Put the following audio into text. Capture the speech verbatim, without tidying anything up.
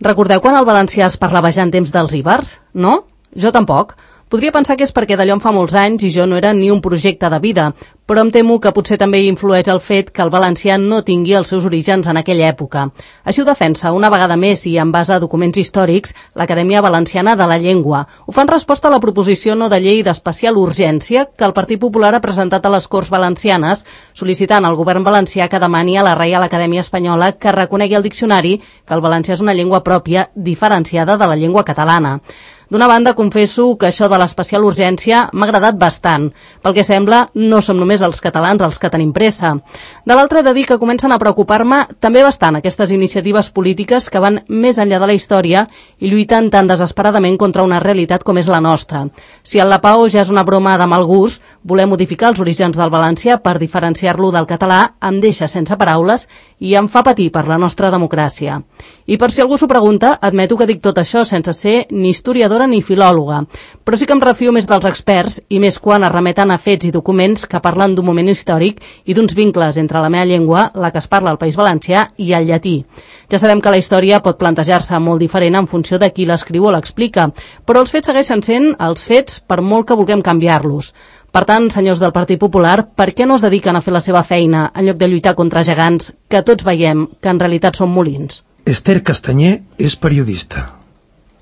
Recordeu quan el valencià es parlava ja en temps dels ibers? No? Jo tampoc. Podria pensar que és perquè d'allò en fa molts anys i jo no era ni un projecte de vida, però em temo que potser també hi influeix el fet que el valencià no tingui els seus orígens en aquella època. Així ho defensa, una vegada més i en base a documents històrics, l'Acadèmia Valenciana de la Llengua. Ho fa en resposta a la proposició no de llei d'especial urgència que el Partit Popular ha presentat a les Corts Valencianes, sol·licitant al govern valencià que demani a la Reial Acadèmia Espanyola que reconegui al diccionari que el valencià és una llengua pròpia diferenciada de la llengua catalana. D'una banda, confesso que això de l'especial urgència m'ha agradat bastant. Pel que sembla, no som només els catalans els que tenim pressa. De l'altra, he de dir que comencen a preocupar-me també bastant aquestes iniciatives polítiques que van més enllà de la història i lluiten tan desesperadament contra una realitat com és la nostra. Si el Lapao ja és una broma de mal gust, voler modificar els orígens del valencià per diferenciar-lo del català em deixa sense paraules i em fa patir per la nostra democràcia. I per si algú s'ho pregunta, admeto que dic tot això sense ser ni historiadora ni filòloga, però sí que em refio més dels experts i més quan es remeten a fets i documents que parlen d'un moment històric i d'uns vincles entre la meva llengua, la que es parla al País Valencià, i el llatí. Ja sabem que la història pot plantejar-se molt diferent en funció de qui l'escriu o l'explica, però els fets segueixen sent els fets per molt que vulguem canviar-los. Per tant, senyors del Partit Popular, per què no es dediquen a fer la seva feina en lloc de lluitar contra gegants que tots veiem que en realitat són molins? Esther Castanyer és periodista.